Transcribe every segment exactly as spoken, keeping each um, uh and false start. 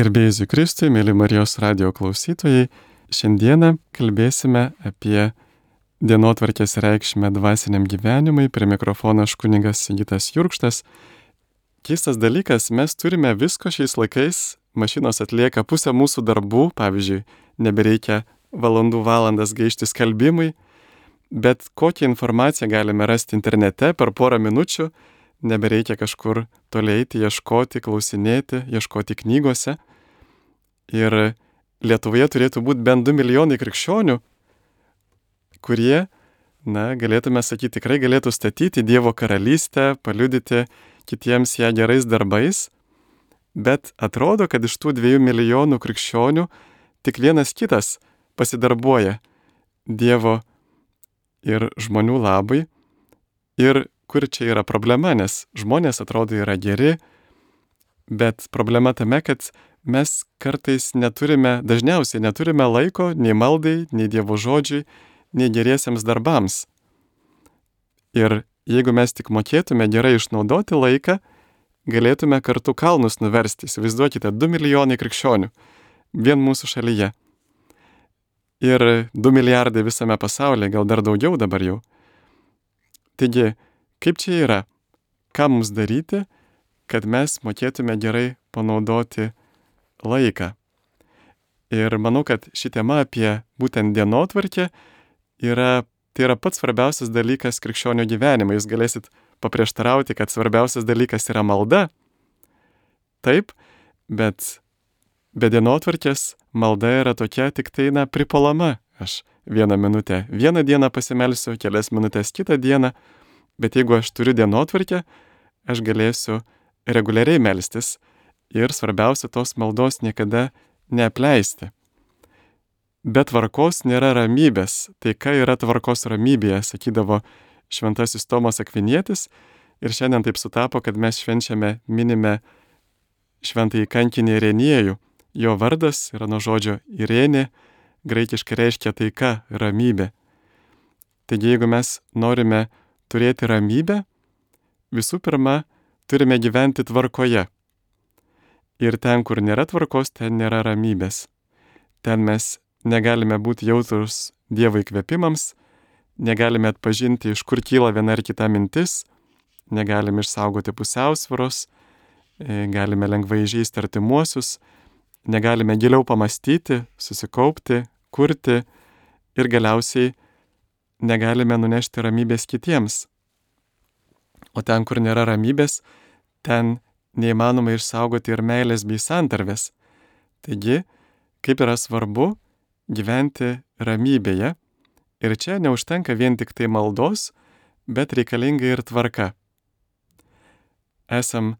Garbėjai Kristui, mėly Marijos radijo klausytojai, šiandieną kalbėsime apie dienotvarkės reikšmę dvasiniam gyvenimui. Prie mikrofono aš kunigas Sigitas Jurkštas. Keistas dalykas, mes turime visko šiais laikais, mašinos atlieka pusę mūsų darbų, pavyzdžiui, nebereikia valandų valandas gaišti skalbimui, bet kokią informaciją galime rasti internete per porą minučių, nebereikia kažkur toliai eiti, ieškoti, klausinėti, ieškoti knygose. Ir Lietuvoje turėtų būti bent du milijonai krikščionių, kurie, na, galėtume sakyti, tikrai galėtų statyti Dievo karalystę, paliudyti kitiems ją gerais darbais, bet atrodo, kad iš tų dviejų milijonų krikščionių tik vienas kitas pasidarbuoja Dievo ir žmonių labai. Ir kur čia yra problema, nes žmonės atrodo yra geri, bet problema tame, kad mes kartais neturime, dažniausiai neturime laiko nei maldai, nei Dievo žodžiui, nei geriesiems darbams. Ir jeigu mes tik mokėtume gerai išnaudoti laiką, galėtume kartu kalnus nuversti. Įsivaizduokite, du milijonai krikščionių vien mūsų šalyje. Ir du milijardai visame pasaulyje, gal dar daugiau dabar jau. Taigi, kaip čia yra? Ką mums daryti, kad mes mokėtume gerai panaudoti laiką? Ir manau, kad ši tema apie būtent dienotvarkę yra, tai yra pats svarbiausias dalykas krikščionio gyvenime. Jūs galėsit paprieštarauti, kad svarbiausias dalykas yra malda. Taip, bet be dienotvarkės malda yra tokia tik tai, na, pripolama. Aš vieną minutę vieną dieną pasimelsiu, kelias minutės kitą dieną. Bet jeigu aš turiu dienotvarkę, aš galėsiu reguliariai melstis ir svarbiausia tos maldos niekada neapleisti. Be tvarkos nėra ramybės. Tai ką yra tvarkos ramybėje, sakydavo šventasis Tomas Akvinietis. Ir šiandien taip sutapo, kad mes švenčiame, minime šventąjį kankinį Irenijų. Jo vardas yra nuo žodžio Irenė, graikiškai reiškia taika, ramybė. Taigi jeigu mes norime turėti ramybę, visų pirma, turime gyventi tvarkoje. Ir ten, kur nėra tvarkos, ten nėra ramybės. Ten mes negalime būti jautrus Dievo įkvėpimams, negalime atpažinti, iš kur kyla viena ar kita mintis, negalime išsaugoti pusiausvyros, galime lengvai įžeisti artimuosius, negalime giliau pamastyti, susikaupti, kurti ir galiausiai negalime nunešti ramybės kitiems. O ten, kur nėra ramybės, ten neįmanoma išsaugoti ir meilės bei santarvės. Taigi, kaip yra svarbu gyventi ramybėje. Ir čia neužtenka vien tik tai maldos, bet reikalinga ir tvarka. Esam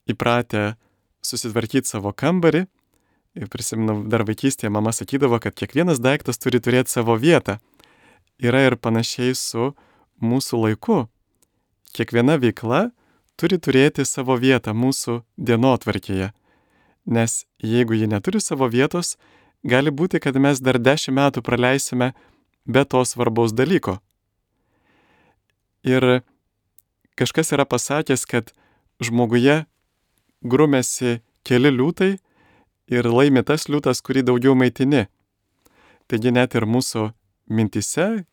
įpratę susitvarkyti savo kambarį. Ir prisimenu, dar vaikystėje mama sakydavo, kad kiekvienas daiktas turi turėti savo vietą. Yra ir panašiai su mūsų laiku. Kiekviena veikla turi turėti savo vietą mūsų dienotvarkėje. Nes jeigu ji neturi savo vietos, gali būti, kad mes dar dešimt metų praleisime be to svarbaus dalyko. Ir kažkas yra pasakęs, kad žmoguje grumėsi keli liūtai ir laimi tas liūtas, kurį daugiau maitini. Taigi net ir mūsų mintise,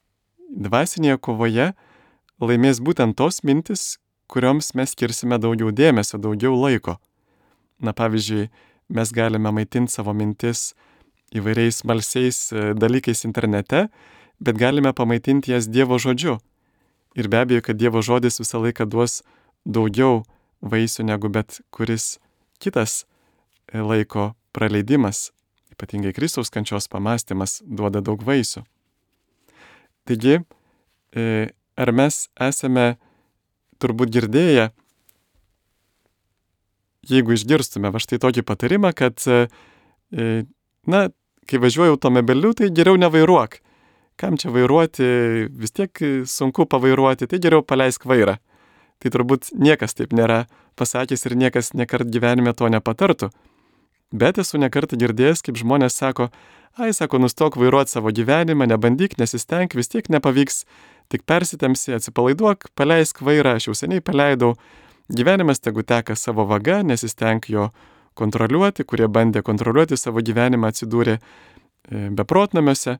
dvasinėje kovoje laimės būtent tos mintis, kurioms mes skirsime daugiau dėmesio, daugiau laiko. Na, pavyzdžiui, mes galime maitinti savo mintis įvairiais smalsiais dalykais internete, bet galime pamaitinti jas Dievo žodžiu. Ir be abejo, kad Dievo žodis visą laiką duos daugiau vaisių negu bet kuris kitas laiko praleidimas. Ypatingai Kristaus kančios pamąstymas duoda daug vaisių. Taigi, ar mes esame turbūt girdėję, jeigu išgirstume va štai tokį patarimą, kad, na, kai važiuoju automobiliu, tai geriau nevairuok. Kam čia vairuoti, vis tiek sunku pavairuoti, tai geriau paleisk vairą. Tai turbūt niekas taip nėra pasakęs ir niekas nekart gyvenime to nepatartų. Bet esu nekartą girdėjęs, kaip žmonės sako, ai, sako, nustok vairuoti savo gyvenimą, nebandyk, nesistenk, vis tiek nepavyks, tik persitemsi, atsipalaiduok, paleisk vairą, aš jau seniai paleidau, gyvenimas tegu teka savo vaga, nesistenk jo kontroliuoti, kurie bandė kontroliuoti savo gyvenimą, atsidūrė beprotnamiuose.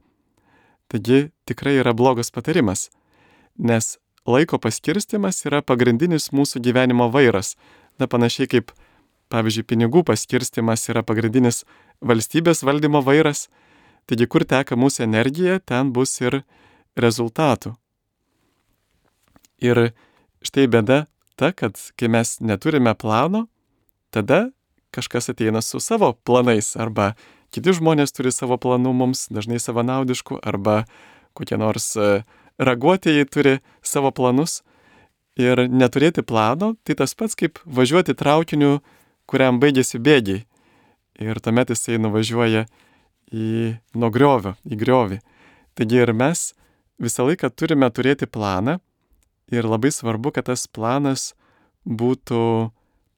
Taigi tikrai yra blogas patarimas, nes laiko paskirstimas yra pagrindinis mūsų gyvenimo vairas. Na, panašiai kaip, pavyzdžiui, pinigų paskirstimas yra pagrindinis valstybės valdymo vairas. Taigi, kur teka mūsų energija, ten bus ir rezultatų. Ir štai bėda ta, kad kai mes neturime plano, tada kažkas ateina su savo planais, arba kiti žmonės turi savo planų mums, dažnai savanaudiškų, arba kokie nors raguotieji turi savo planus. Ir neturėti plano, tai tas pats kaip važiuoti traukiniu, kuriam baigėsi bėgiai. Ir tuomet jisai nuvažiuoja į nuo griovio, į griovį. Taigi ir mes visą laiką turime turėti planą ir labai svarbu, kad tas planas būtų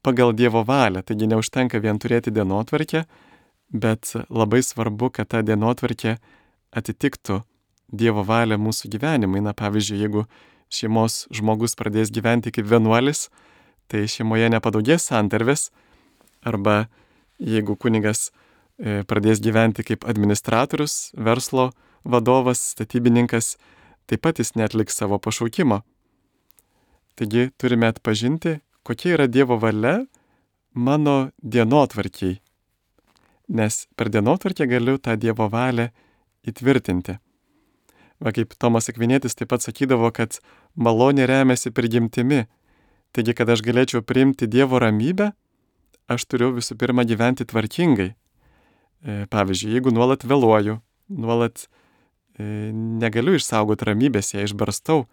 pagal Dievo valią. Taigi neužtenka vien turėti dienotvarkę, bet labai svarbu, kad ta dienotvarkė atitiktų Dievo valią mūsų gyvenimui. Na, pavyzdžiui, jeigu šeimos žmogus pradės gyventi kaip vienuolis, tai šeimoje nepadaugės santarvės, arba jeigu kunigas pradės gyventi kaip administratorius, verslo vadovas, statybininkas, taip pat jis neatliks savo pašaukimo. Taigi turime atpažinti, kokia yra Dievo valia mano dienotvarkiai, nes per dienotvarkę galiu tą Dievo valią įtvirtinti. Va, kaip Tomas Akvinietis taip pat sakydavo, kad malonė remiasi prigimtimi. Taigi, kad aš galėčiau priimti Dievo ramybę, aš turiu visų pirma gyventi tvarkingai. Pavyzdžiui, jeigu nuolat vėluoju, nuolat e, negaliu išsaugoti ramybės, ją išbarstau,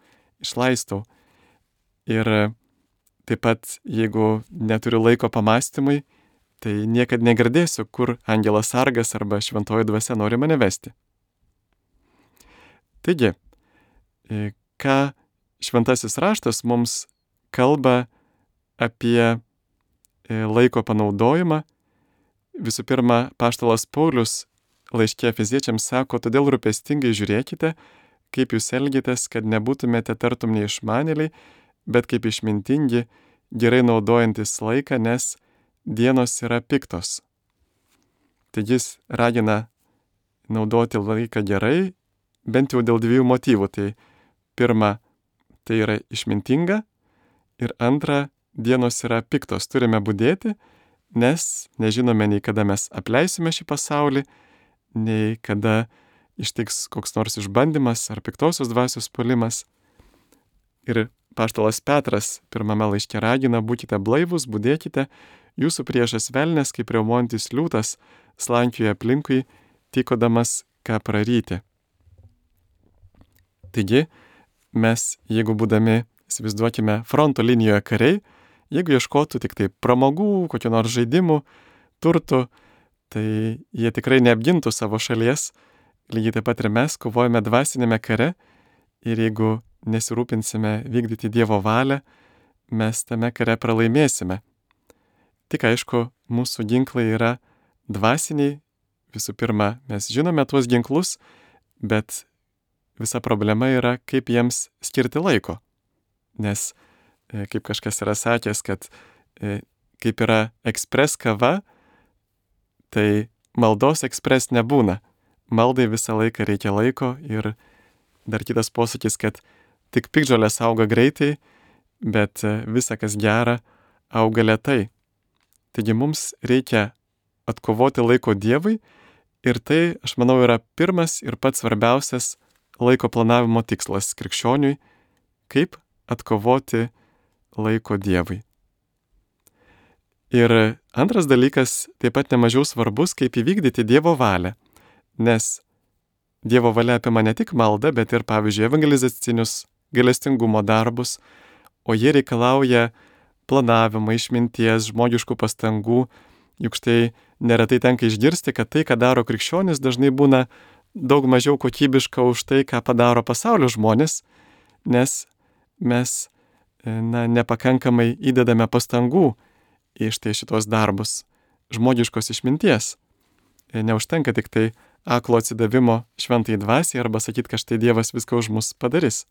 išlaistau. Ir taip pat, jeigu neturiu laiko pamastymui, tai niekad negirdėsiu, kur angelas sargas arba šventoji dvasia nori mane vesti. Taigi, e, ką šventasis raštas mums kalba apie e, laiko panaudojimą. Visų pirma, apaštalas Paulius laiške Efeziečiams sako, todėl rūpestingai žiūrėkite, kaip jūs elgitės, kad nebūtumėte tartum neišmanėliai, bet kaip išmintingi, gerai naudojantis laiką, nes dienos yra piktos. Taigi jis ragina naudoti laiką gerai, bent jau dėl dviejų motyvų. Tai pirma, tai yra išmintinga, ir antra, dienos yra piktos. Turime budėti, nes nežinome nei kada mes apleisime šį pasaulį, nei kada ištiks koks nors išbandymas ar piktosios dvasios puolimas. Ir apaštalas Petras pirmame laiške ragina, būkite blaivūs, budėkite, jūsų priešas velnias, kaip riaumojantis liūtas, slankioja aplinkui, tykodamas ką praryti. Taigi, mes, jeigu būdami, įsivaizduokime, fronto linijoje kariai, jeigu ieškotų tik tai pramogų, kokių nors žaidimų, turtų, tai jie tikrai neapgintų savo šalies. Lygiai taip pat ir mes kovojame dvasinėme kare, ir jeigu nesirūpinsime vykdyti Dievo valią, mes tame kare pralaimėsime. Tik aišku, mūsų ginklai yra dvasiniai. Visų pirma, mes žinome tuos ginklus, bet visa problema yra, kaip jiems skirti laiko. Nes, kaip kažkas yra sakęs, kad kaip yra ekspres kava, tai maldos ekspres nebūna. Maldai visą laiką reikia laiko, ir dar kitas posakis, kad tik piktžolės auga greitai, bet visa, kas gera, auga lėtai. Taigi mums reikia atkovoti laiko Dievui, ir tai, aš manau, yra pirmas ir pats svarbiausias laiko planavimo tikslas krikščioniui, kaip atkovoti laiko Dievui. Ir antras dalykas, taip pat nemažiau svarbus, kaip įvykdyti Dievo valią, nes Dievo valia apima ne tik maldą, bet ir, pavyzdžiui, evangelizacinius gailestingumo darbus, o jie reikalauja planavimo, išminties, žmogiškų pastangų. Juk štai neretai tenka išgirsti, kad tai, ką daro krikščionis, dažnai būna daug mažiau kokybiška už tai, ką padaro pasaulio žmonės, nes mes na, nepakankamai įdedame pastangų į štai šitos darbus, žmogiškos išminties. Neužtenka tik tai aklo atsidavimo šventai dvasiai arba sakyti, kad štai Dievas viską už mus padarys.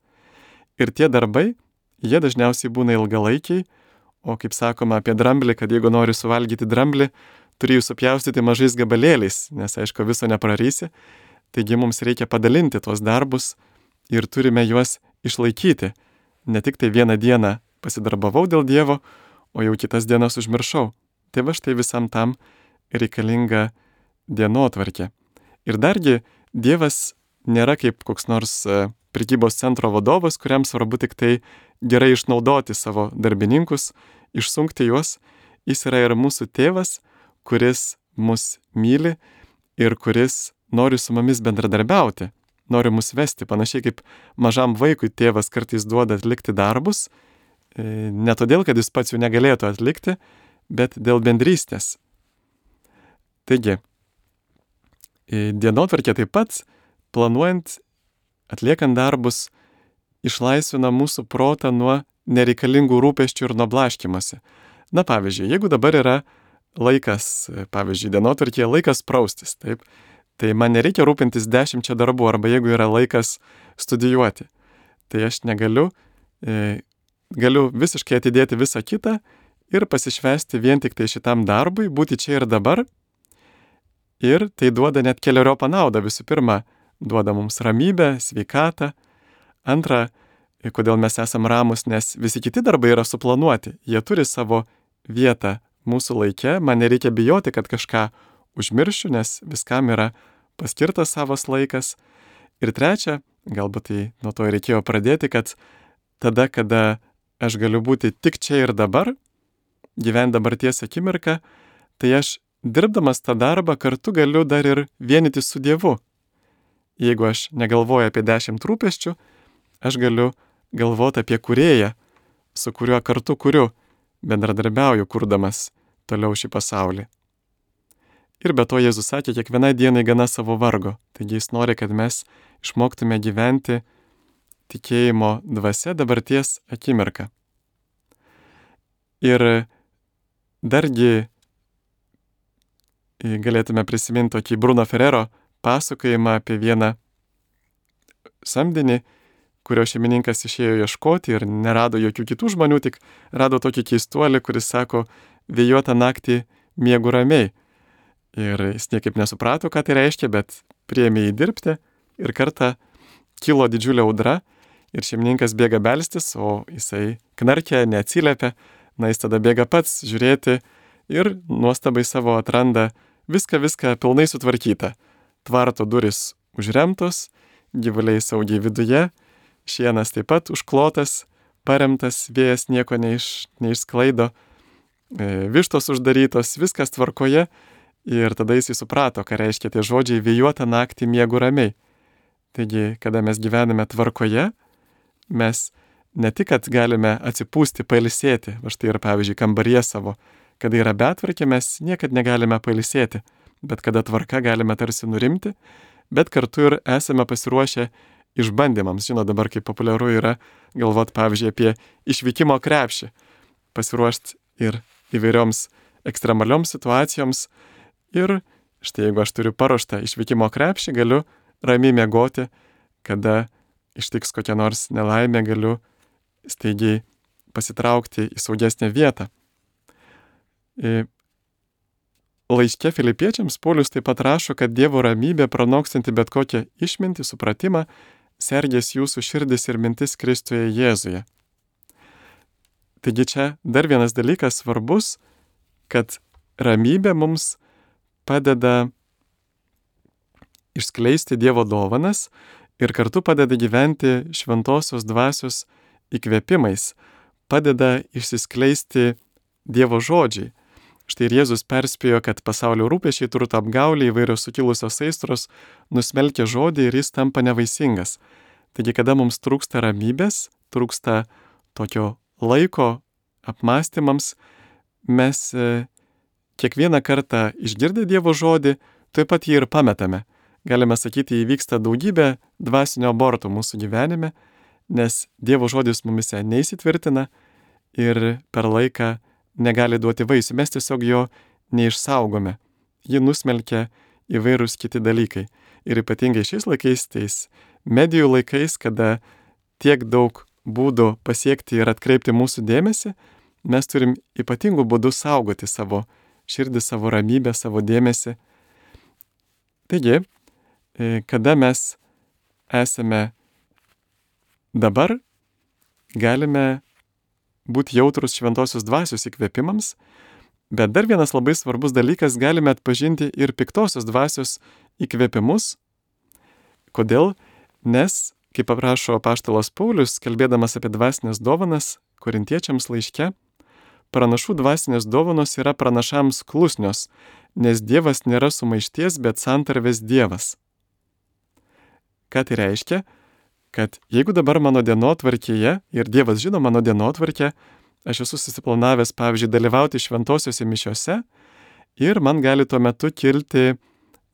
Ir tie darbai, jie dažniausiai būna ilgalaikiai, o kaip sakoma apie dramblį, kad jeigu nori suvalgyti dramblį, turi jų supjaustyti mažais gabalėliais, nes aišku viso neprarysi, taigi mums reikia padalinti tuos darbus ir turime juos išlaikyti. Ne tik tai vieną dieną pasidarbavau dėl Dievo, o jau kitas dienas užmiršau. Tai va štai visam tam reikalinga dienotvarkė. Ir dargi Dievas nėra kaip koks nors prekybos centro vadovas, kuriam svarbu tik tai gerai išnaudoti savo darbininkus, išsunkti juos. Jis yra ir mūsų tėvas, kuris mus myli ir kuris nori su mumis bendradarbiauti, nori mus vesti, panašiai kaip mažam vaikui tėvas kartais duoda atlikti darbus, ne todėl, kad jis pats jų negalėtų atlikti, bet dėl bendrystės. Taigi, dienotvarkė taip pat, planuojant, atliekant darbus, išlaisvina mūsų protą nuo nereikalingų rūpesčių ir nuo blaškymosi. Na pavyzdžiui, jeigu dabar yra laikas, pavyzdžiui, dienotvarkėje laikas praustis, taip, tai man nereikia rūpintis dešimčia darbų, arba jeigu yra laikas studijuoti, tai aš negaliu, e, galiu visiškai atidėti visą kitą ir pasišvęsti vien tik tai šitam darbui, būti čia ir dabar. Ir tai duoda net keliariopą naudą. Visų pirma, duoda mums ramybę, sveikatą. Antra, kodėl mes esam ramus, nes visi kiti darbai yra suplanuoti. Jie turi savo vietą mūsų laike. Man nereikia bijoti, kad kažką užmiršiu, nes viskam yra paskirtas savas laikas. Ir trečia, galbūt tai nuo to reikėjo pradėti, kad tada, kada aš galiu būti tik čia ir dabar, gyventi dabarties akimirką, tai aš dirbdamas tą darbą kartu galiu dar ir vienyti su Dievu. Jeigu aš negalvoju apie dešimt rūpesčių, aš galiu galvoti apie kūrėją, su kuriuo kartu kuriu, bendradarbiauju kurdamas toliau šį pasaulį. Ir be to Jėzus sakė, kiekvienai dienai gana savo vargo. Taigi jis nori, kad mes išmoktume gyventi tikėjimo dvasia dabarties akimirką. Ir dargi galėtume prisiminti tokį Bruno Ferrero pasakojimą apie vieną samdinį, kurio šeimininkas išėjo ieškoti ir nerado jokių kitų žmonių, tik rado tokį keistuolį, kuris sako, vėjuotą naktį miegu ramiai. Ir jis niekaip nesuprato, ką tai reiškia, bet priėmė jį dirbti ir kartą kilo didžiulė audra ir šeimininkas bėga belstis, o jisai knarkia, neatsiliepia. Na, jis tada bėga pats žiūrėti ir nuostabai savo atranda viską, viską pilnai sutvarkyta. Tvarto duris užremtos, gyvuliai saugiai viduje, šienas taip pat užklotas, paremtas, vėjas nieko neiš, neišsklaido, vištos uždarytos, viskas tvarkoje. Ir tada jis suprato, ką reiškia tie žodžiai vėjuotą naktį miegu ramiai. Taigi, kada mes gyvename tvarkoje, mes ne tik, kad galime atsipūsti, pailsėti, va štai ir pavyzdžiui kambaryje savo, kada yra betvarkė, mes niekad negalime pailsėti, bet kada tvarka galime tarsi nurimti, bet kartu ir esame pasiruošę išbandymams. Žinot, dabar kaip populiaru yra galvoti, pavyzdžiui, apie išvykimo krepšį, pasiruošti ir įvairioms ekstremalioms situacijoms. Ir štai jeigu aš turiu paruoštą išvykimo krepšį, galiu ramiai miegoti, kada ištiks kokia nors nelaimė, galiu staigiai pasitraukti į saugesnę vietą. Laiške Filipiečiams Paulius taip pat rašo, kad Dievo ramybė, pranokstanti bet kokią išmintį, supratimą, sergės jūsų širdis ir mintis Kristuje Jėzuje. Taigi čia dar vienas dalykas svarbus, kad ramybė mums padeda išskleisti Dievo dovanas ir kartu padeda gyventi šventosios dvasios įkvėpimais, padeda išsiskleisti Dievo žodžiai. Štai ir Jėzus perspėjo, kad pasaulio rūpesčiai, turto apgaulė, įvairios sukilusios aistros nusmelkia žodį ir jis tampa nevaisingas. Taigi, kada mums trūksta ramybės, trūksta tokio laiko apmąstymams, mes kiekvieną kartą išgirdę Dievo žodį, taip pat jį ir pametame. Galime sakyti, įvyksta daugybė dvasinio abortų mūsų gyvenime, nes Dievo žodis mumise neįsitvirtina ir per laiką negali duoti vaisių. Mes tiesiog jo neišsaugome. Jį nusmelkia įvairūs kiti dalykai. Ir ypatingai šiais laikais, tais medijų laikais, kada tiek daug būdų pasiekti ir atkreipti mūsų dėmesį, mes turim ypatingų būdų saugoti savo širdį, savo ramybę, savo dėmesį. Taigi, kada mes esame dabar, galime būti jautrus šventosios dvasios įkvėpimams, bet dar vienas labai svarbus dalykas, galime atpažinti ir piktosios dvasios įkvėpimus. Kodėl? Nes, kaip aprašo apaštalas Paulius, kalbėdamas apie dvasinės dovanas korintiečiams laiške, pranašų dvasinės dovanos yra pranašams klusnios, nes Dievas nėra sumaišties, bet santarvės Dievas. Ką tai reiškia? Kad jeigu dabar mano dienotvarkėje, ir Dievas žino mano dienotvarkę, aš esu susiplanavęs, pavyzdžiui, dalyvauti šventosiuose mišiose ir man gali tuo metu kilti,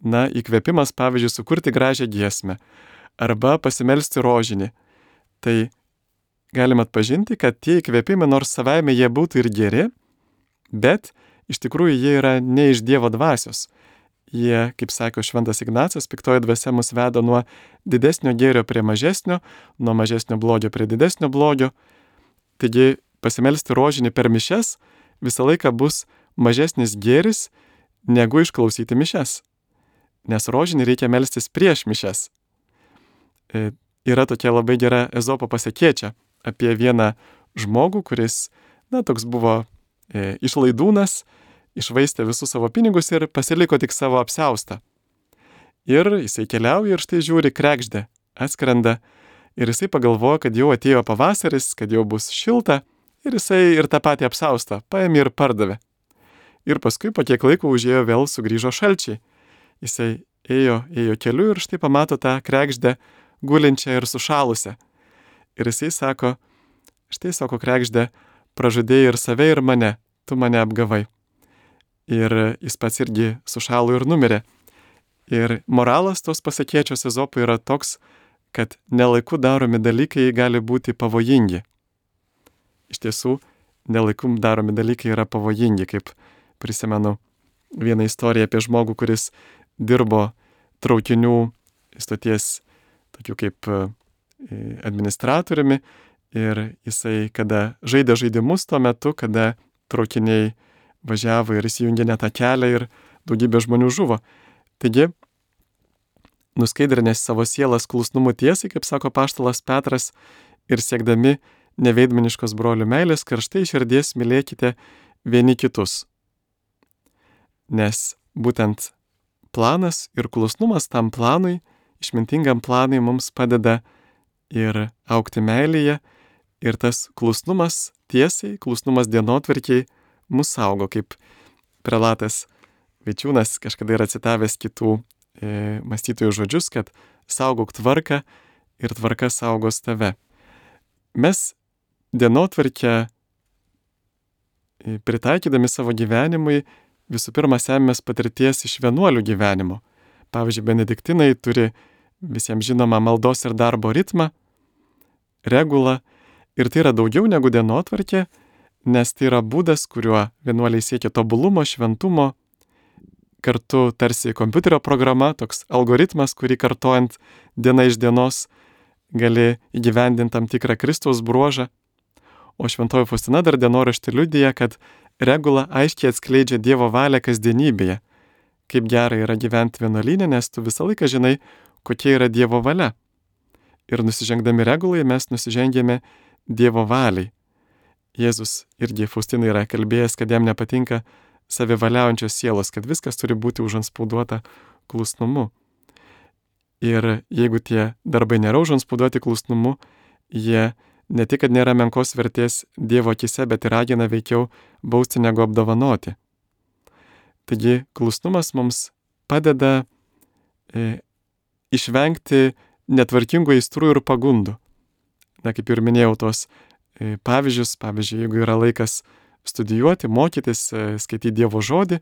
na, įkvėpimas, pavyzdžiui, sukurti gražią giesmę arba pasimelsti rožinį. Tai galim atpažinti, kad tie įkvėpimai, nors savaime jie būtų ir geri, bet iš tikrųjų jie yra ne iš Dievo dvasios. Jie, kaip sako šventas Ignacas, piktoji dvasia mus veda nuo didesnio gėrio prie mažesnio, nuo mažesnio blogio prie didesnio blogio. Taigi pasimelsti rožinį per mišias visą laiką bus mažesnis gėris negu išklausyti mišias. Nes rožinį reikia melstis prieš mišias. E, yra tokia labai gera Ezopo pasakėčia apie vieną žmogų, kuris, na, toks buvo e, išlaidūnas, išvaistė visus savo pinigus ir pasiliko tik savo apsiaustą. Ir jisai keliauja ir štai žiūri, kregždė atskrenda ir jisai pagalvoja, kad jau atėjo pavasaris, kad jau bus šilta ir jisai ir tą patį apsiaustą paėmė ir pardavė. Ir paskui po kiek laiko užėjo vėl sugrįžo šalčiai. Jisai ėjo, ėjo keliu ir štai pamato tą kregždę gulinčią ir sušalusią. Ir jisai sako, štai sako kregždė, pražudėjai ir save ir mane, tu mane apgavai. Ir jis pats irgi sušalo ir numirė. Ir moralas tos pasakėčios Ezopo yra toks, kad nelaiku daromi dalykai gali būti pavojingi. Iš tiesų, nelaiku daromi dalykai yra pavojingi, kaip prisimenu vieną istoriją apie žmogų, kuris dirbo traukinių stoties tokių kaip administratoriumi ir jisai, kada žaidė žaidimus tuo metu, kada traukiniai važiavo ir įsijungė net tą kelią ir daugybė žmonių žuvo. Taigi, nuskaidrinęs savo sielas klusnumu tiesai, kaip sako apaštalas Petras, ir siekdami neveidmaniškos brolių meilės, karštai širdies mylėkite vieni kitus. Nes būtent planas ir klusnumas tam planui, išmintingam planui mums padeda ir augti meilėje, ir tas klusnumas tiesai, klusnumas dienotvarkiai mus saugo, kaip prelatas Vaičiūnas kažkada yra citavęs kitų e, mąstytojų žodžius, kad saugok tvarką ir tvarka saugos tave. Mes dienotvarkę e, pritaikydami savo gyvenimui visų pirma semės patirties iš vienuolių gyvenimo. Pavyzdžiui, benediktinai turi visiems žinomą maldos ir darbo ritmą, regulą, ir tai yra daugiau negu dienotvarkė, nes tai yra būdas, kuriuo vienuoliai siekia tobulumo, šventumo, kartu tarsi kompiuterio programa, toks algoritmas, kurį kartojant diena iš dienos gali įgyvendinti tam tikrą Kristaus bruožą. O šventoji Faustina dar dienoraštį liudija, kad regula aiškiai atskleidžia Dievo valią kasdienybėje. Kaip gera yra gyventi vienuolyne, nes tu visą laiką žinai, kokia yra Dievo valia. Ir nusižengdami regulai mes nusižengėme Dievo valiai. Jėzus irgi Faustinai yra kalbėjęs, kad jam nepatinka savivaliaujančios sielos, kad viskas turi būti užanspauduota klusnumu. Ir jeigu tie darbai nėra užanspauduoti klusnumu, jie ne tik, kad nėra menkos vertės Dievo akise, bet ir ragina veikiau bausti negu apdovanoti. Taigi klusnumas mums padeda e, išvengti netvarkingų aistrų ir pagundų. Na, kaip ir minėjau, tos e, pavyzdžius, pavyzdžiui, jeigu yra laikas studijuoti, mokytis, e, skaityti Dievo žodį,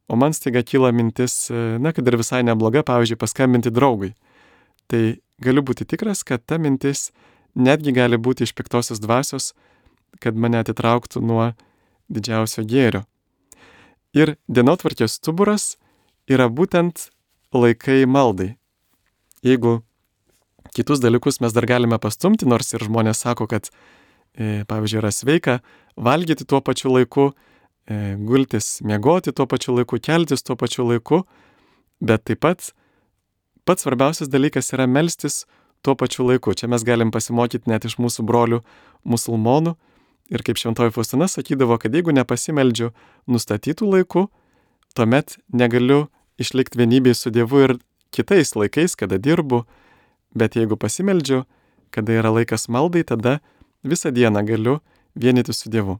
o man staiga kyla mintis, e, na, kad ir visai nebloga, pavyzdžiui, paskambinti draugui. Tai galiu būti tikras, kad ta mintis netgi gali būti iš piktosios dvasios, kad mane atitrauktų nuo didžiausio gėrio. Ir dienotvarkės stuburas yra būtent laikai maldai. Jeigu kitus dalykus mes dar galime pastumti, nors ir žmonės sako, kad, e, pavyzdžiui, yra sveika valgyti tuo pačiu laiku, e, gultis, miegoti tuo pačiu laiku, keltis tuo pačiu laiku, bet taip pat pats svarbiausias dalykas yra melstis tuo pačiu laiku. Čia mes galim pasimokyti net iš mūsų brolių musulmonų. Ir kaip šventoji Faustina sakydavo, kad jeigu nepasimeldžiu nustatytų laiku, tuomet negaliu išlikti vienybėj su Dievu ir kitais laikais, kada dirbu, bet jeigu pasimeldžiu, kada yra laikas maldai, tada visą dieną galiu vienyti su Dievu.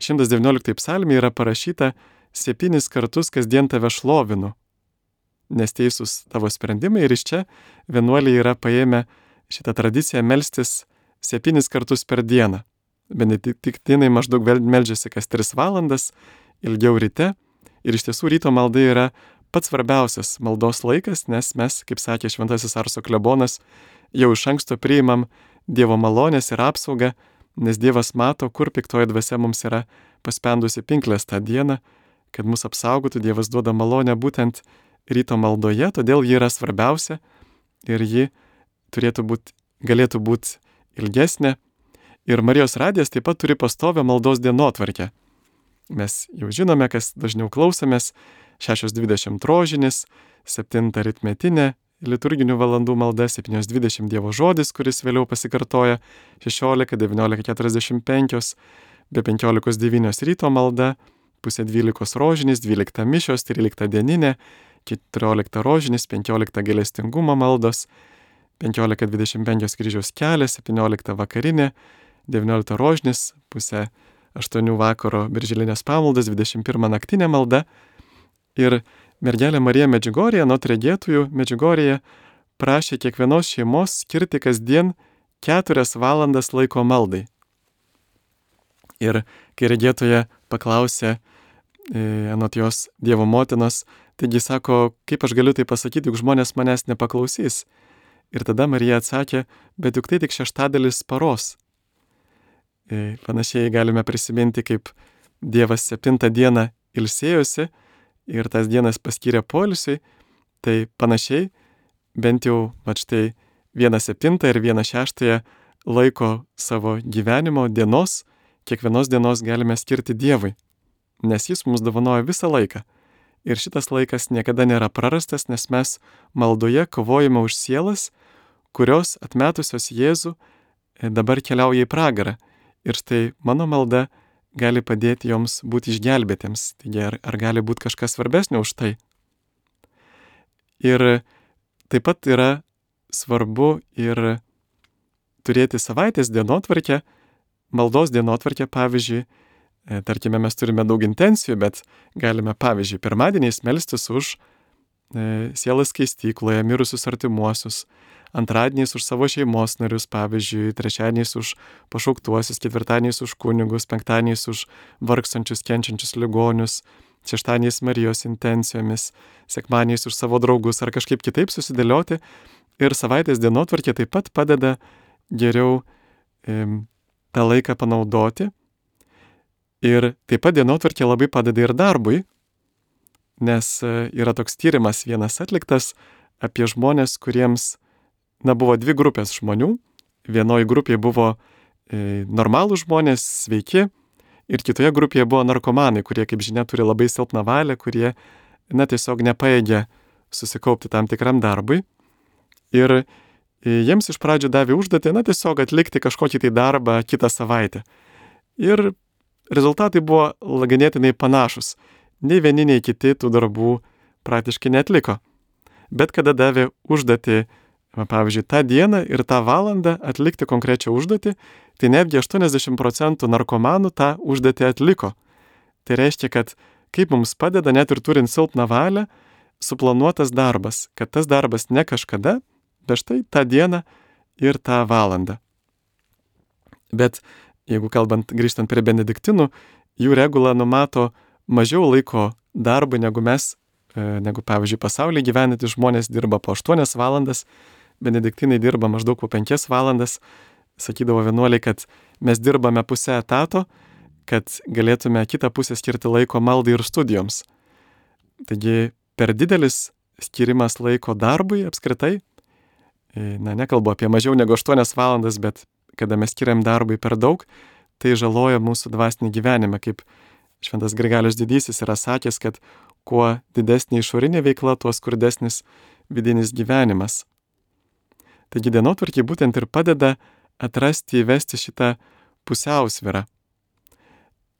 šimtas devynioliktoj psalmėje yra parašyta: septynis kartus kasdien tave šlovinu, nes teisūs tavo sprendimai, ir iš čia vienuoliai yra paėmę šitą tradiciją melstis septynis kartus per dieną. Benediktinai maždaug meldžiasi kas tris valandas, ilgiau ryte, ir iš tiesų ryto malda yra pats svarbiausias maldos laikas, nes mes, kaip sakė šventasis Arso klebonas, jau iš anksto priimam Dievo malonės ir apsaugą, nes Dievas mato, kur piktoji dvasia mums yra paspendusi pinklės tą dieną, kad mus apsaugotų. Dievas duoda malonę būtent ryto maldoje, todėl ji yra svarbiausia ir ji turėtų būti, galėtų būti ilgesnė. Ir Marijos radijas taip pat turi pastovią maldos dienotvarkę. Mes jau žinome, kas dažniau klausomės: šešios dvidešimt rožinis, septinta aritmetinė liturginių valandų malda, septynios dvidešimt Dievo žodis, kuris vėliau pasikartoja, šešiolika, devyniolika keturiasdešimt penkios, be penkiolikos devynios ryto malda, pusė dvylikos rožinis, dvylikta mišios, trylikta dieninė, keturiolikta rožinis, penkiolikta gailestingumo maldos, penkiolika dvidešimt penkios kryžiaus kelias, septyniolikta vakarinė, devyniolikta rožinis, pusė aštuonių vakaro birželinės pamaldos, dvidešimt pirma naktinė malda. Ir mergelė Marija Medžiugorėje, nuo regėtojų Medžiugorėje, prašė kiekvienos šeimos skirti kasdien keturias valandas laiko maldai. Ir kai regėtoja paklausė, e, anot jos, Dievo motinos, taigi sako, kaip aš galiu tai pasakyti, juk žmonės manęs nepaklausys. Ir tada Marija atsakė, bet juk tai tik šeštadalis paros. E, panašiai galime prisiminti, kaip Dievas septintą dieną ilsėjosi ir tas dienas paskyrė poilsiui, tai panašiai, bent jau, va štai, vieną septintą ir vieną šeštąją laiko savo gyvenimo dienos, kiekvienos dienos galime skirti Dievui, nes Jis mums dovanoja visą laiką. Ir šitas laikas niekada nėra prarastas, nes mes maldoje kovojame už sielas, kurios atmetusios Jėzų dabar keliauja į pragarą. Ir štai mano malda gali padėti joms būti išgelbėtiems. Taigi ar, ar gali būti kažkas svarbesnio už tai? Ir taip pat yra svarbu ir turėti savaitės dienotvarkę, maldos dienotvarkę, pavyzdžiui, e, tarkime, mes turime daug intencijų, bet galime, pavyzdžiui, pirmadieniais melstis už e, sielas skaistykloje mirusius artimuosius, antradieniais už savo šeimos narius, pavyzdžiui, trečiadieniais už pašauktuosius, ketvirtadieniais už kunigus, penktadieniais už vargstančius, kenčiančius ligonius, šeštadieniais Marijos intencijomis, sekmadieniais už savo draugus ar kažkaip kitaip susidėlioti. Ir savaitės dienotvarkė taip pat padeda geriau e, tą laiką panaudoti. Ir taip pat dienotvarkė labai padeda ir darbui, nes e, yra toks tyrimas vienas atliktas apie žmonės, kuriems Na, buvo dvi grupės žmonių. Vienoje grupėje buvo e, normalų žmonės, sveiki, ir kitoje grupėje buvo narkomanai, kurie, kaip žinia, turi labai silpną valią, kurie, na, tiesiog nepaėgė susikaupti tam tikram darbui. Ir e, jiems iš pradžių davė užduotį, na, tiesiog atlikti kažkokį tai darbą kitą savaitę. Ir rezultatai buvo ganėtinai panašus. Nei vieni, nei kiti tų darbų praktiškai neatliko. Bet kada davė užduotį, pavyzdžiui, tą dieną ir tą valandą atlikti konkrečią užduotį, tai netgi aštuoniasdešimt procentų narkomanų tą užduotį atliko. Tai reiškia, kad kaip mums padeda, net ir turint silpną valią, suplanuotas darbas, kad tas darbas ne kažkada, bet štai tą dieną ir tą valandą. Bet jeigu kalbant, grįžtant prie benediktinų, jų regula numato mažiau laiko darbui, negu mes, negu, pavyzdžiui, pasaulyje gyvenantys žmonės dirba po aštuonias valandas, benediktinai dirba maždaug po penkias valandas. Sakydavo vienuoliai, kad mes dirbame pusę etato, kad galėtume kitą pusę skirti laiko maldai ir studijoms. Taigi per didelis skirimas laiko darbui apskritai, na, nekalbu apie mažiau negu aštuonias valandas, bet kada mes skiriam darbui per daug, tai žaloja mūsų dvasinį gyvenimą, kaip Šventas Grigalius Didysis yra sakęs, kad kuo didesnė išorinė veikla, tuo skurdesnis vidinis gyvenimas. Taigi dienotvarkė būtent ir padeda atrasti, įvesti šitą pusiausvyrą.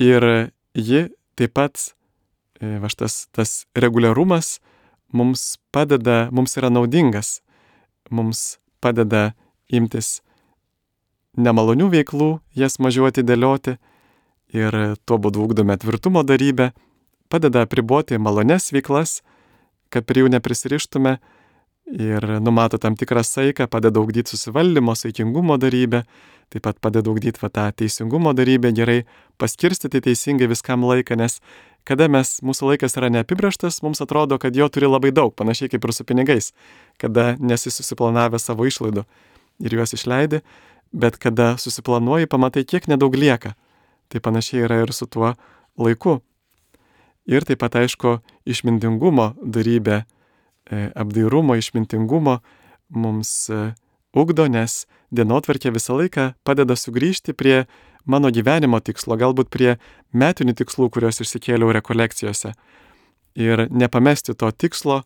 Ir ji taip pat, va šitas tas reguliarumas mums padeda, mums yra naudingas, mums padeda imtis nemalonių veiklų, jas mažiau atidėlioti ir tuo būdu ugdome tvirtumo darybę, padeda apriboti malones veiklas, kad prie jų neprisirištume ir numato tam tikrą saiką, padeda ugdyti susivaldymo, saikingumo darybę, taip pat padeda ugdyti va, tą teisingumo darybę, gerai paskirstyti teisingai viskam laiką, nes kada mes, mūsų laikas yra neapibrėžtas, mums atrodo, kad jo turi labai daug, panašiai kaip ir su pinigais, kada nesi susiplanavę savo išlaidų ir juos išleidi, bet kada susiplanuoji, pamatai, kiek nedaug lieka. Tai panašiai yra ir su tuo laiku. Ir taip pat, aišku, išmintingumo darybė, apdairumo, išmintingumo mums ugdo, nes dienotvarkė visą laiką padeda sugrįžti prie mano gyvenimo tikslo, galbūt prie metinių tikslų, kuriuos išsikėliau rekolekcijose. Ir nepamesti to tikslo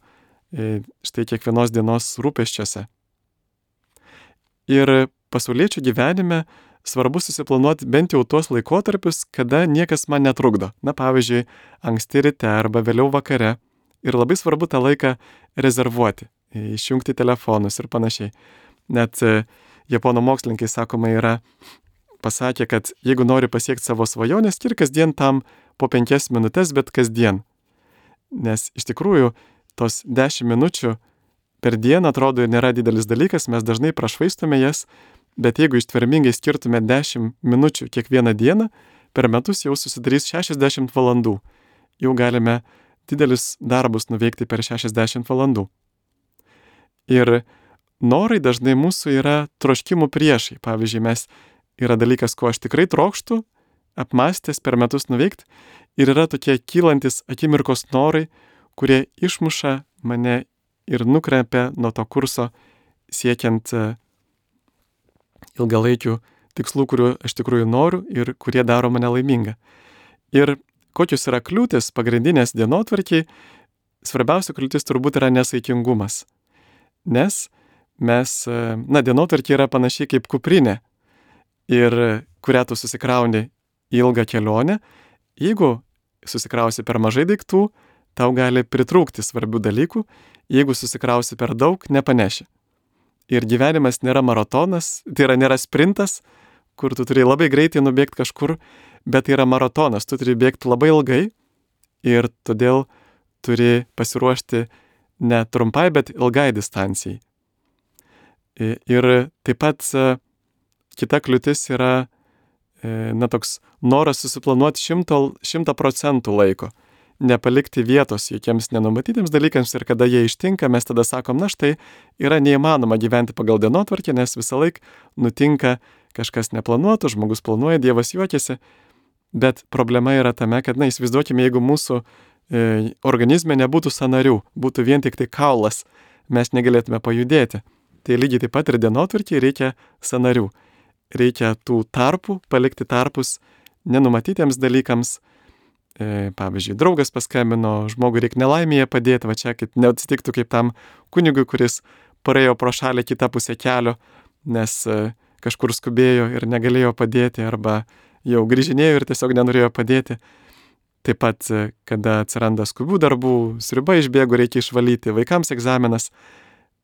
štai kiekvienos dienos rūpesčiuose. Ir pasauliečių gyvenime svarbu susiplanuoti bent jau tuos laikotarpius, kada niekas man netrukdo. Na, pavyzdžiui, anksti ryte arba vėliau vakare. Ir labai svarbu tą laiką rezervuoti, išjungti telefonus ir panašiai. Net japonų mokslininkai, sakoma, yra pasakę, kad jeigu nori pasiekti savo svajonę, skirk kasdien tam po penkias minutės, bet kasdien. Nes iš tikrųjų tos dešimt minučių per dieną atrodo nėra didelis dalykas, mes dažnai prašvaistome jas, bet jeigu ištvermingai skirtume dešimt minučių kiekvieną dieną, per metus jau susidarys šešiasdešimt valandų. Jau galime didelius darbus nuveikti per šešiasdešimt valandų. Ir norai dažnai mūsų yra troškimų priešai. Pavyzdžiui, mes yra dalykas, ko aš tikrai trokštu, apmąstęs per metus nuveikti, ir yra tokie kylantis akimirkos norai, kurie išmuša mane ir nukreipia nuo to kurso siekiant ilgalaikių tikslų, kurių aš tikrųjų noriu ir kurie daro mane laimingą. Ir kokios yra kliūtis pagrindinės dienotvarkiai, svarbiausia kliūtis turbūt yra nesaikingumas. Nes mes, na, dienotvarkė yra panašiai kaip kuprinė, ir kurią tu susikrauni į ilgą kelionę. Jeigu susikrausi per mažai daiktų, tau gali pritrūkti svarbių dalykų, jeigu susikrausi per daug, nepaneši. Ir gyvenimas nėra maratonas, tai yra nėra sprintas, kur tu turi labai greitai nubėgti kažkur, bet tai yra maratonas, tu turi bėgti labai ilgai ir todėl turi pasiruošti ne trumpai, bet ilgai distancijai. Ir taip pat kita kliūtis yra, na, toks noras susiplanuoti šimtą procentų laiko, nepalikti vietos jokiems nenumatytiems dalykams, ir kada jie ištinka, mes tada sakom, na štai, yra neįmanoma gyventi pagal dienotvarkę, nes visą laiką nutinka kažkas neplanuoto, žmogus planuoja, Dievas juokiasi, bet problema yra tame, kad, na, įsivaizduokime, jeigu mūsų e, organizme nebūtų sąnarių, būtų vien tik tai kaulas, mes negalėtume pajudėti. Tai lygiai taip pat ir dienotvarkėje reikia sąnarių. Reikia tų tarpų, palikti tarpus nenumatytiems dalykams. E, pavyzdžiui, draugas paskambino, žmogui reikia nelaimėje padėti, va čia, kad neatsitiktų kaip tam kunigui, kuris praėjo pro šalį kitą pusę kelio, nes e, kažkur skubėjo ir negalėjo padėti, arba jau grįžinėjo ir tiesiog nenorėjo padėti. Taip pat, e, kada atsiranda skubių darbų, sriuba išbėgo, reikia išvalyti, vaikams egzaminas,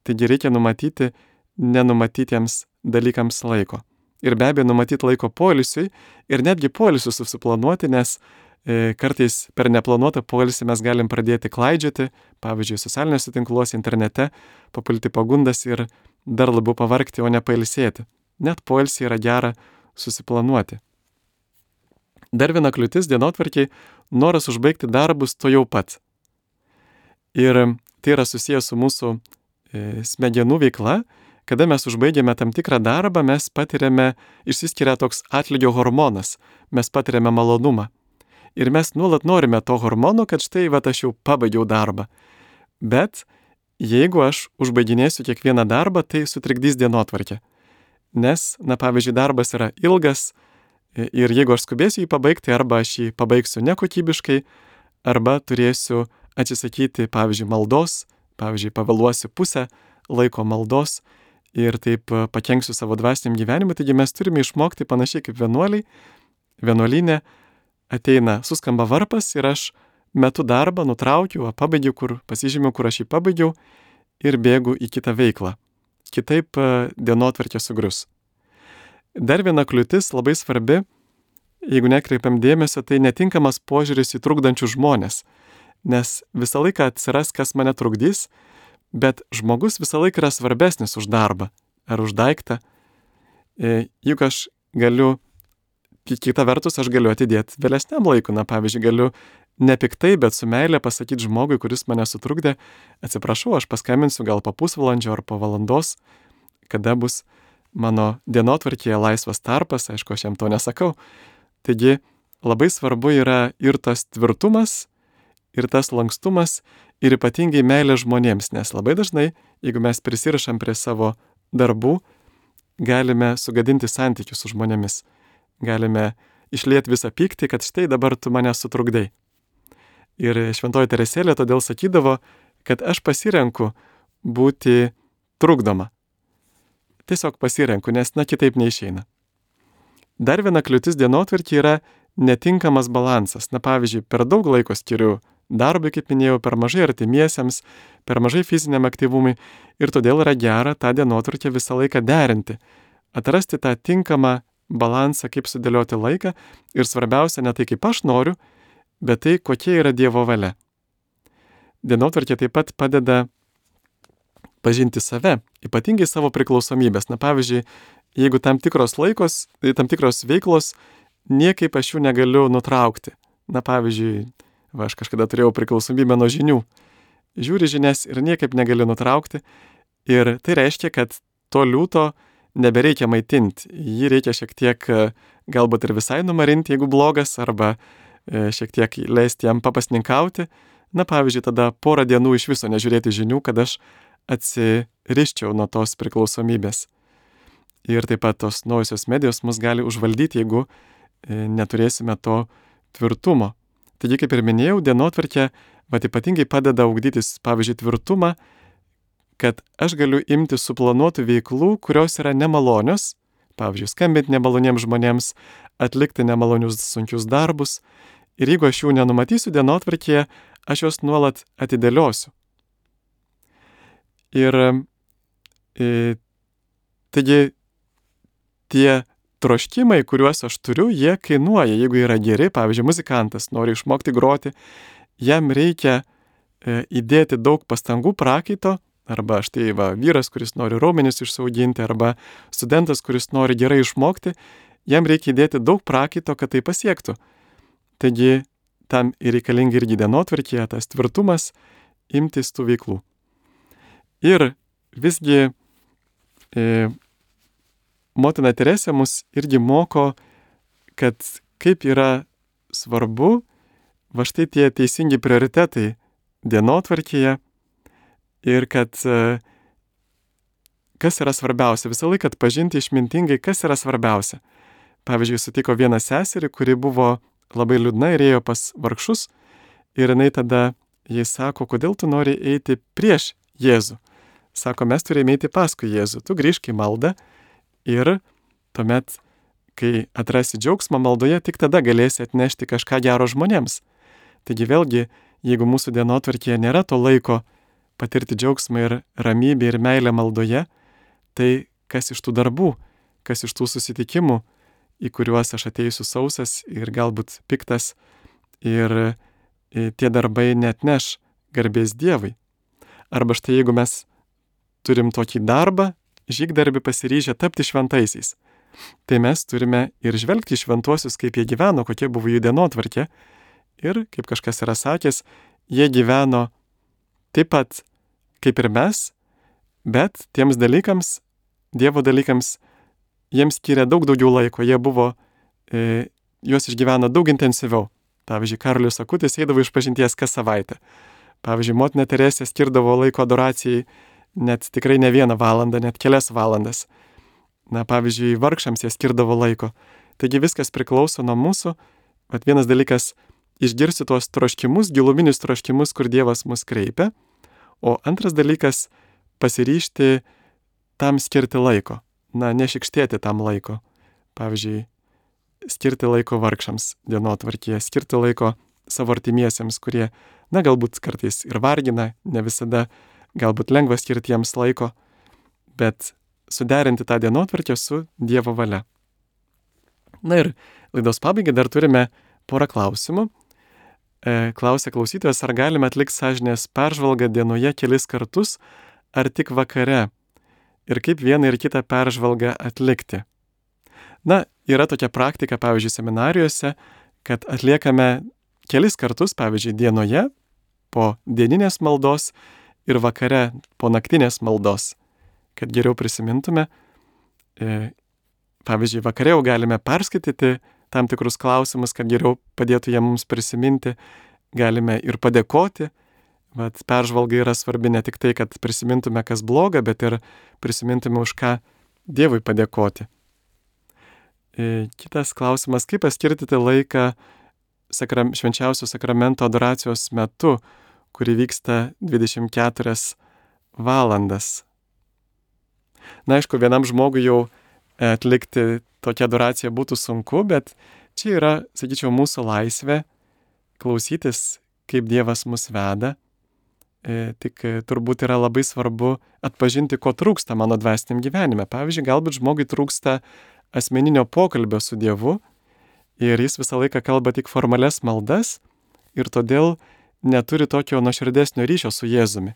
taigi reikia numatyti nenumatytiems dalykams laiko. Ir be abejo numatyti laiko poilsiui ir netgi poilsiui susiplanuoti, nes e, kartais per neplanuotą poilsį mes galim pradėti klaidžioti, pavyzdžiui, socialiniuose tinkluose, internete, papulti pagundas ir dar labiau pavargti, o ne pailsėti. Net poilsį yra gera susiplanuoti. Dar viena kliūtis dienotvarkiai – noras užbaigti darbus to jau pat. Ir tai yra susijęs su mūsų e, smegenų veikla. Kada mes užbaigiame tam tikrą darbą, mes patiriame, išsiskiria toks atlygio hormonas, mes patiriame malonumą. Ir mes nuolat norime to hormono, kad štai, va, aš jau pabaigiau darbą. Bet jeigu aš užbaiginėsiu kiekvieną darbą, tai sutrikdys dienotvarkę. Nes, na, pavyzdžiui, darbas yra ilgas, Ir jeigu aš skubėsiu jį pabaigti, arba aš jį pabaigsiu nekokybiškai, arba turėsiu atsisakyti, pavyzdžiui, maldos, pavyzdžiui, pavėluosiu pusę laiko maldos ir taip pakenksiu savo dvasiniam gyvenimui. Taigi mes turime išmokti panašiai kaip vienuoliai. Vienuolyne ateina, suskamba varpas ir aš metu darbą, nutraukiu, pabaigiu, kur pasižymiu, kur aš jį pabaigiau ir bėgu į kitą veiklą. Kitaip dienotvarkė sugrius. Dar viena kliūtis labai svarbi, jeigu nekreipiam dėmesio, tai netinkamas požiūris į trukdančius žmonės. Nes visą laiką atsiras, kas mane trukdys, bet žmogus visą laiką yra svarbesnis už darbą ar už daiktą. Juk aš galiu, kita vertus, aš galiu atidėti vėlesniam laikui. Na, pavyzdžiui, galiu nepiktai, bet su meilė pasakyti žmogui, kuris mane sutrukdė, atsiprašau, aš paskambinsiu gal po pusvalandžio ar po valandos, kada bus mano dienotvarkėje laisvas tarpas, aišku, aš jam to nesakau. Taigi labai svarbu yra ir tas tvirtumas, ir tas lankstumas, ir ypatingai meilė žmonėms, nes labai dažnai, jeigu mes prisirišam prie savo darbų, galime sugadinti santykius su žmonėmis. Galime išlieti visą pyktį, kad štai dabar tu mane sutrukdai. Ir Šventoji Teresėlė todėl sakydavo, kad aš pasirenku būti trukdoma. Tiesiog pasirenku, nes na kitaip neišeina. Dar viena kliūtis dienotvarkė yra netinkamas balansas. Na pavyzdžiui, per daug laiko skiriu darbui, kaip minėjau, per mažai artimiesiems, per mažai fiziniam aktyvumui ir todėl yra gera tą dienotvarkę visą laiką derinti. Atrasti tą tinkamą balansą, kaip sudėlioti laiką ir svarbiausia ne tai, kaip aš noriu, bet tai, kokia yra Dievo valia. Dienotvarkė taip pat padeda pažinti save, ypatingai savo priklausomybės. Na pavyzdžiui, jeigu tam tikros laikos, tam tikros veiklos, niekaip aš jų negaliu nutraukti. Na pavyzdžiui, va, aš kažkada turėjau priklausomybę nuo žinių. Žiūri žinias ir niekaip negaliu nutraukti. Ir tai reiškia, kad to liūto nebereikia maitinti. Jį reikia šiek tiek galbūt ir visai numarinti, jeigu blogas, arba šiek tiek leisti jam papasninkauti. Na pavyzdžiui, tada porą dienų iš viso nežiūrėti žinių, kad aš atsiriščiau nuo tos priklausomybės. Ir taip pat tos naujosios medijos mus gali užvaldyti, jeigu neturėsime to tvirtumo. Taigi, kaip ir minėjau, dienotvarkė vat ypatingai padeda ugdytis, pavyzdžiui, tvirtumą, kad aš galiu imti suplanuotų veiklų, kurios yra nemalonios, pavyzdžiui, skambinti nemaloniems žmonėms, atlikti nemalonius sunkius darbus. Ir jeigu aš jų nenumatysiu dienotvarkėje, aš juos nuolat atidėliosiu. Ir e, taigi tie troškimai, kuriuos aš turiu, jie kainuoja. Jeigu yra geri, pavyzdžiui, muzikantas nori išmokti groti, jam reikia e, įdėti daug pastangų, prakaito, arba štai va, vyras, kuris nori raumenis išsiauginti, arba studentas, kuris nori gerai išmokti, jam reikia įdėti daug prakaito, kad tai pasiektų. Taigi tam ir reikalingi irgi dienotvarkėje tas tvirtumas imtis tų veiklų. Ir visgi e, motina Teresė mus irgi moko, kad kaip yra svarbu va štai tie teisingi prioritetai dienotvarkėje ir kad e, kas yra svarbiausia. Visą laiką atpažinti išmintingai, kas yra svarbiausia. Pavyzdžiui, sutiko vieną seserį, kuri buvo labai liūdna ir ėjo pas vargšus ir jinai tada jai sako, kodėl tu nori eiti prieš Jėzų. Sako, mes turime eiti paskui Jėzų. Tu grįžk į maldą ir tuomet, kai atrasi džiaugsmą maldoje, tik tada galėsi atnešti kažką gero žmonėms. Taigi vėlgi, jeigu mūsų dienotvarkėje nėra to laiko patirti džiaugsmą ir ramybę ir meilę maldoje, tai kas iš tų darbų, kas iš tų susitikimų, į kuriuos aš ateisiu sausas ir galbūt piktas, ir tie darbai neatneš garbės Dievui. Arba štai jeigu mes turim tokį darbą, žygdarbį pasiryžę tapti šventaisiais, tai mes turime ir žvelgti į šventuosius, kaip jie gyveno, kokie buvo jų dienotvarkė. Ir, kaip kažkas yra sakęs, jie gyveno taip pat kaip ir mes, bet tiems dalykams, Dievo dalykams, jiems skiria daug daugiau laiko, jie buvo, e, juos išgyveno daug intensyviau. Pavyzdžiui, Karolis Akutis eidavo išpažinties kas savaitę. Pavyzdžiui, motina Teresė skirdavo laiko adoracijai net tikrai ne vieną valandą, net kelias valandas. Na, pavyzdžiui, vargšams jie skirdavo laiko. Taigi viskas priklauso nuo mūsų. Vat vienas dalykas - išgirsti tuos troškimus, giluminius troškimus, kur Dievas mus kreipia. O antras dalykas - pasiryžti tam skirti laiko. Na, nešikštėti tam laiko. Pavyzdžiui, skirti laiko vargšams dienotvarkėje, skirti laiko savo artimiesiems, kurie, na, galbūt kartais ir vargina, ne visada galbūt lengva skirti jiems laiko, bet suderinti tą dienotvarkę su Dievo valia. Na ir laidos pabaigai dar turime porą klausimų. E, klausia klausytojas, ar galime atlikti sąžinės peržvalgą dienoje kelis kartus, ar tik vakare? Ir kaip vieną ir kitą peržvalgą atlikti? Na, yra tokia praktika, pavyzdžiui, seminarijose, kad atliekame kelis kartus, pavyzdžiui, dienoje po dieninės maldos ir vakare po naktinės maldos, kad geriau prisimintume. E, pavyzdžiui, vakare jau galime perskaityti tam tikrus klausimus, kad geriau padėtų jie mums prisiminti. Galime ir padėkoti. Vat peržvalga yra svarbi ne tik tai, kad prisimintume, kas bloga, bet ir prisimintume, už ką Dievui padėkoti. E, kitas klausimas, kaip paskirtyti laiką sakram, švenčiausio sakramento adoracijos metu, kuri vyksta dvidešimt keturias valandas. Na, aišku, vienam žmogui jau atlikti tokią adoraciją būtų sunku, bet čia yra, sakyčiau, mūsų laisvė klausytis, kaip Dievas mus veda. E, tik turbūt yra labai svarbu atpažinti, ko trūksta mano dvasiniam gyvenime. Pavyzdžiui, galbūt žmogui trūksta asmeninio pokalbio su Dievu ir jis visą laiką kalba tik formalias maldas ir todėl neturi tokio nuoširdesnio ryšio su Jėzumi.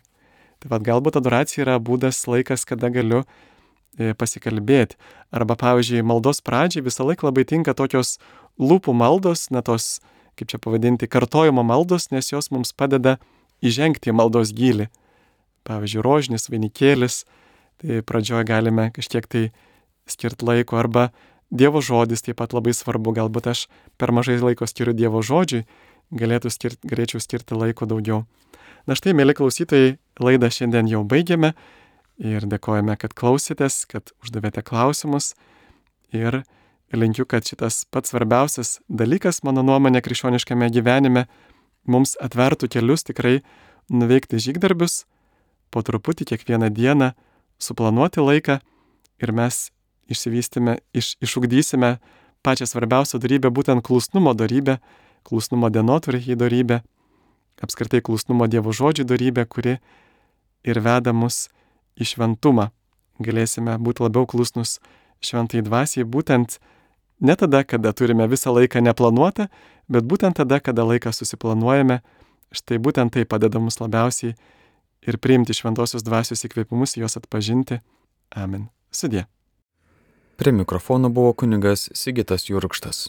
Tai vad galbūt adoracija yra būdas, laikas, kada galiu e, pasikalbėti. Arba, pavyzdžiui, maldos pradžiai visą laiką labai tinka tokios lūpų maldos, na tos, kaip čia pavadinti, kartojimo maldos, nes jos mums padeda įžengti į maldos gylį. Pavyzdžiui, rožinis, vainikėlis, tai pradžioje galime kažkiek tai skirti laiko, arba Dievo žodis taip pat labai svarbu, galbūt aš per mažai laiko skiriu Dievo žodžiui, galėtų skirti, galėčiau skirti laiko daugiau. Na štai, mėly klausytojai, laidą šiandien jau baigėme ir dėkojame, kad klausėtės, kad uždavėte klausimus ir linkiu, kad šitas pats svarbiausias dalykas, mano nuomonė, krikščioniškame gyvenime mums atvertų kelius tikrai nuveikti žygdarbius, po truputį kiekvieną dieną suplanuoti laiką ir mes išsivystime, iš, išugdysime pačią svarbiausią dorybę, būtent klusnumo dorybę, klusnumo dienotvarkei dorybę, apskritai klusnumo Dievo žodžių dorybę, kuri ir veda mus į šventumą. Galėsime būti labiau klusnus šventai dvasiai, būtent ne tada, kada turime visą laiką neplanuotą, bet būtent tada, kada laiką susiplanuojame. Štai būtent tai padeda mums labiausiai ir priimti šventosios dvasios įkvėpimus, juos atpažinti. Amen. Sudie. Prie mikrofono buvo kunigas Sigitas Jurkštas.